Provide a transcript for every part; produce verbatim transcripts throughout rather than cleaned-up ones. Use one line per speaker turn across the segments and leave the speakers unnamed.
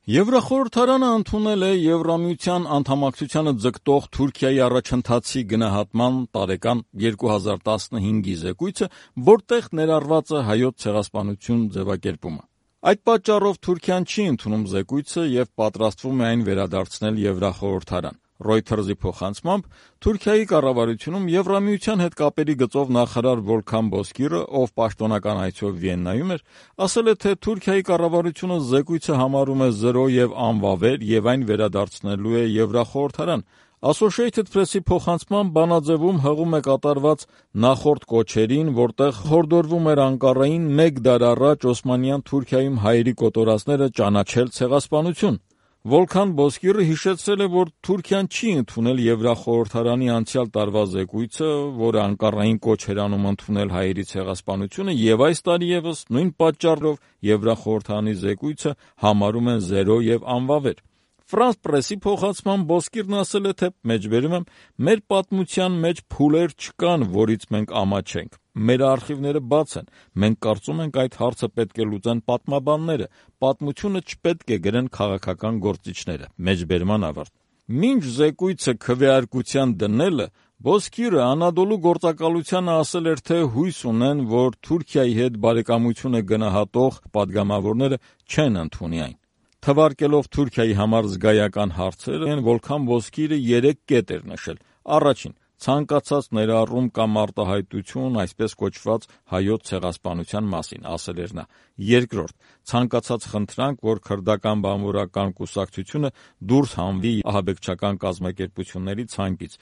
Եվրախորհրդարանը ընդունել է Եվրամիության անդամակցությանը ձգտող Թուրքիայի առաջընթացի գնահատման տարեկան երկու հազար տասնհինգի զեկույցը, որտեղ ներառված է Հայոց ցեղասպանություն ձևակերպումը։ Այդ պատճառով Թուրքիան չի ընդունում զեկույցը և պատրաստվում է այն վերադարձնել Եվրախորհրդարան։ Reuters-ի փոխանցմամբ Թուրքիայի կառավարությունում Եվրամիության հետ կապերի գծով նախարար Վոլքան Բոզկիրը, ով պաշտոնական այցով Վիեննայում էր, ասել է, թե Թուրքիայի կառավարությունը զեկույցը համարում է զրո և անվավեր և այն վերադարձնելու է Եվրախորհրդարան։ Associated Press-ի փոխանցմամբ բանաձևում հղում է կատարված նախորդ կոչերին, որտեղ հորդորվում էր Անկարային մեկ դար առաջ Օսմանյան Թուրքիայում հայերի կոտորածները ճանաչել ցեղասպանություն։ Վոլքան Բոզկիրը հիշեցրել է, որ Թուրքիան չի ընդունել Եվրախորհրդարանի անցյալ տարվա զեկույցը, որը Անկարային կոչ էր անում ընդունել հայերի ցեղասպանությունը, և այս տարի ևս նույն պատճառով Եվրախորհրդարանի զեկույցը համարում են զերո և անվավեր։ France Press-ի փոխանցմամբ Բոզկիրն ասել է, թե մեջբերում եմ, մեր պատմության մեջ փուլեր չկան, որից մենք ամաչենք։ Մեր արխիվները բաց են։ Մենք կարծում ենք, այդ հարցը պետք է լուծեն պատմաբանները։ Պատմությունը չպետք է գրեն քաղաքական գործիչները։ Մեջբերման ավարտ։ Մինչ զեկույցը քվեարկության դնելը, Բոզկիրը Անադոլու գործակալությանը ասել էր, թե հույս ունեն, որ Թուրքիայի հետ բարեկամությունը գնահատող պատգամավորները չեն ընդունի այն։ Թվարկելով Թուրքիայի համար զգայական հարցեր, Վոլքան Բոզկիրը երեք կետ էր նշել։ Առաջին՝ ցանկացած ներառում կամ արտահայտություն այսպես կոչված հայոց ցեղասպանության մասին, ասել էր նա։ Երկրորդ՝ ցանկացած խնդրանք, որ քրդական բանվորական կուսակցությունը դուրս հանվի ահաբեկչական կազմակերպությունների ցանկից։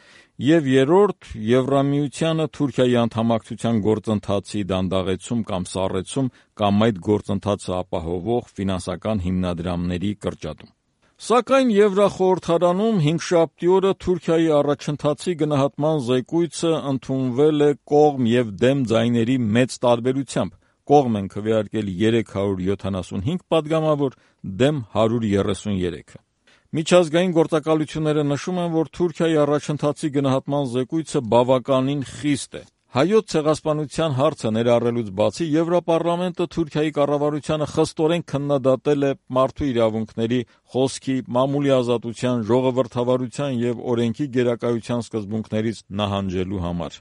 Եվ երրորդ՝ Եվրամիությանը Թուրքիայի անդամակցության գործընթացի դանդաղեցում կամ սառեցում կամ այդ գործընթացը ապահովող ֆինանսական հիմնադրամների կրճատում։ Սակայն Եվրախորհրդարանում հինգշաբթի օրը Թուրքիայի առաջընթացի գնահատման զեկույցը ընդունվել է կողմ և դեմ ձայների մեծ տարբերությամբ։ Կողմ են քվեարկել երեք հարյուր յոթանասունհինգ պատգամավոր, դեմ հարյուր երեսուներեքը։ Միջազգային գործակալությունները նշում են, որ Թուրքիայի առաջընթացի գնահատման զեկույցը բավականին խիստ է։ Հայոց ցեղասպանության հարցը ներառելուց բացի, Եվրոպարլամենտը Թուրքիայի կառավարությանը խստորեն քննադատել է մարդու իրավունքների, խոսքի, մամուլի ազատության, ժողովրդավարության և օրենքի գերակայության սկզբունքներից նահանջելու համար։